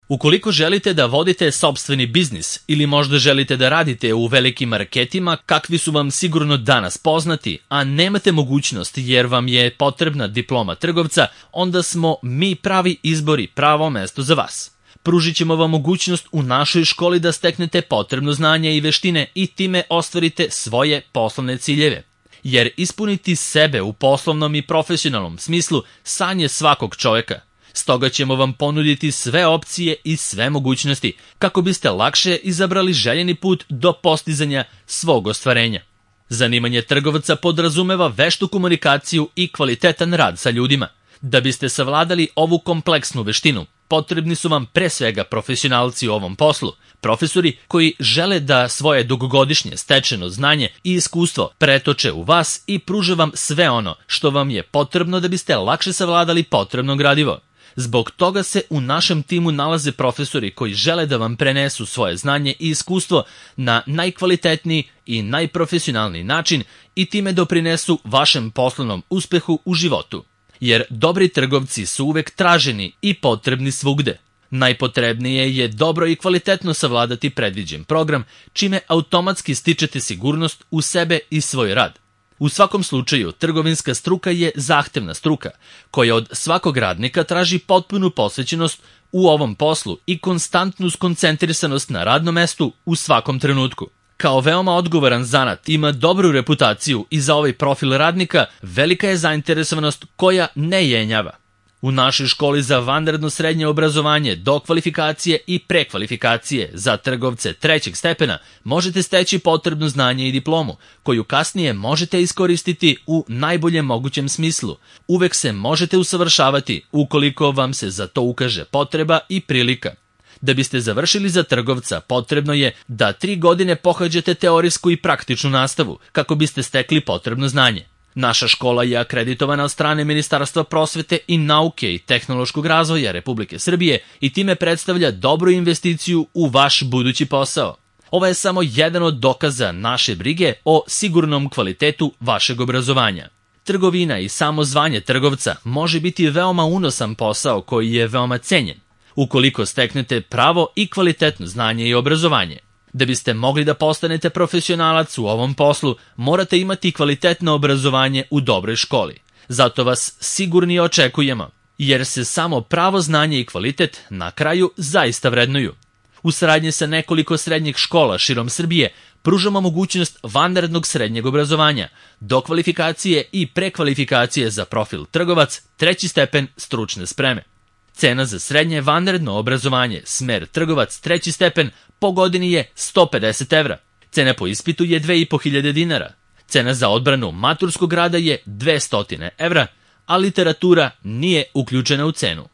Ukoliko želite da vodite sopstveni biznis ili možda želite da radite u velikim marketima kakvi su vam sigurno danas poznati, a nemate mogućnost jer vam je potrebna diploma trgovca, onda smo mi pravi izbor i pravo mesto za vas. Pružit ćemo vam mogućnost u našoj školi da steknete potrebno znanje i veštine i time ostvarite svoje poslovne ciljeve. Jer ispuniti sebe u poslovnom i profesionalnom smislu san je svakog čovjeka. Stoga ćemo vam ponuditi sve opcije i sve mogućnosti kako biste lakše izabrali željeni put do postizanja svog ostvarenja. Zanimanje trgovca podrazumeva veštu komunikaciju i kvalitetan rad sa ljudima. Da biste savladali ovu kompleksnu veštinu, potrebni su vam pre svega profesionalci u ovom poslu, profesori koji žele da svoje dugogodišnje stečeno znanje i iskustvo pretoče u vas i pruže vam sve ono što vam je potrebno da biste lakše savladali potrebno gradivo. Zbog toga se u našem timu nalaze profesori koji žele da vam prenesu svoje znanje i iskustvo na najkvalitetniji i najprofesionalniji način i time doprinesu vašem poslovnom uspehu u životu. Jer dobri trgovci su uvek traženi i potrebni svugde. Najpotrebnije je dobro i kvalitetno savladati predviđen program, čime automatski stičete sigurnost u sebe i svoj rad. U svakom slučaju, trgovinska struka je zahtevna struka, koja od svakog radnika traži potpunu posvećenost u ovom poslu i konstantnu skoncentrisanost na radnom mestu u svakom trenutku. Kao veoma odgovoran zanat ima dobru reputaciju i za ovaj profil radnika velika je zainteresovanost koja ne jenjava. U našoj školi za vanredno srednje obrazovanje, dokvalifikacije i prekvalifikacije za trgovce trećeg stepena možete steći potrebno znanje i diplomu, koju kasnije možete iskoristiti u najboljem mogućem smislu. Uvek se možete usavršavati ukoliko vam se za to ukaže potreba i prilika. Da biste završili za trgovca, potrebno je da 3 godine pohađate teorijsku i praktičnu nastavu kako biste stekli potrebno znanje. Naša škola je akreditovana od strane Ministarstva prosvete i nauke i tehnološkog razvoja Republike Srbije i time predstavlja dobru investiciju u vaš budući posao. Ovo je samo jedan od dokaza naše brige o sigurnom kvalitetu vašeg obrazovanja. Trgovina i samo zvanje trgovca može biti veoma unosan posao koji je veoma cenjen, ukoliko steknete pravo i kvalitetno znanje i obrazovanje. Da biste mogli da postanete profesionalac u ovom poslu, morate imati kvalitetno obrazovanje u dobroj školi. Zato vas sigurni očekujemo, jer se samo pravo znanje i kvalitet na kraju zaista vrednuju. U saradnji sa nekoliko srednjih škola širom Srbije pružamo mogućnost vanrednog srednjeg obrazovanja, dokvalifikacije i prekvalifikacije za profil trgovac, treći stepen stručne spreme. Cena za srednje vanredno obrazovanje, smer trgovac, treći stepen, po godini je 150 evra. Cena po ispitu je 2500 dinara. Cena za odbranu maturskog rada je 200 evra, a literatura nije uključena u cenu.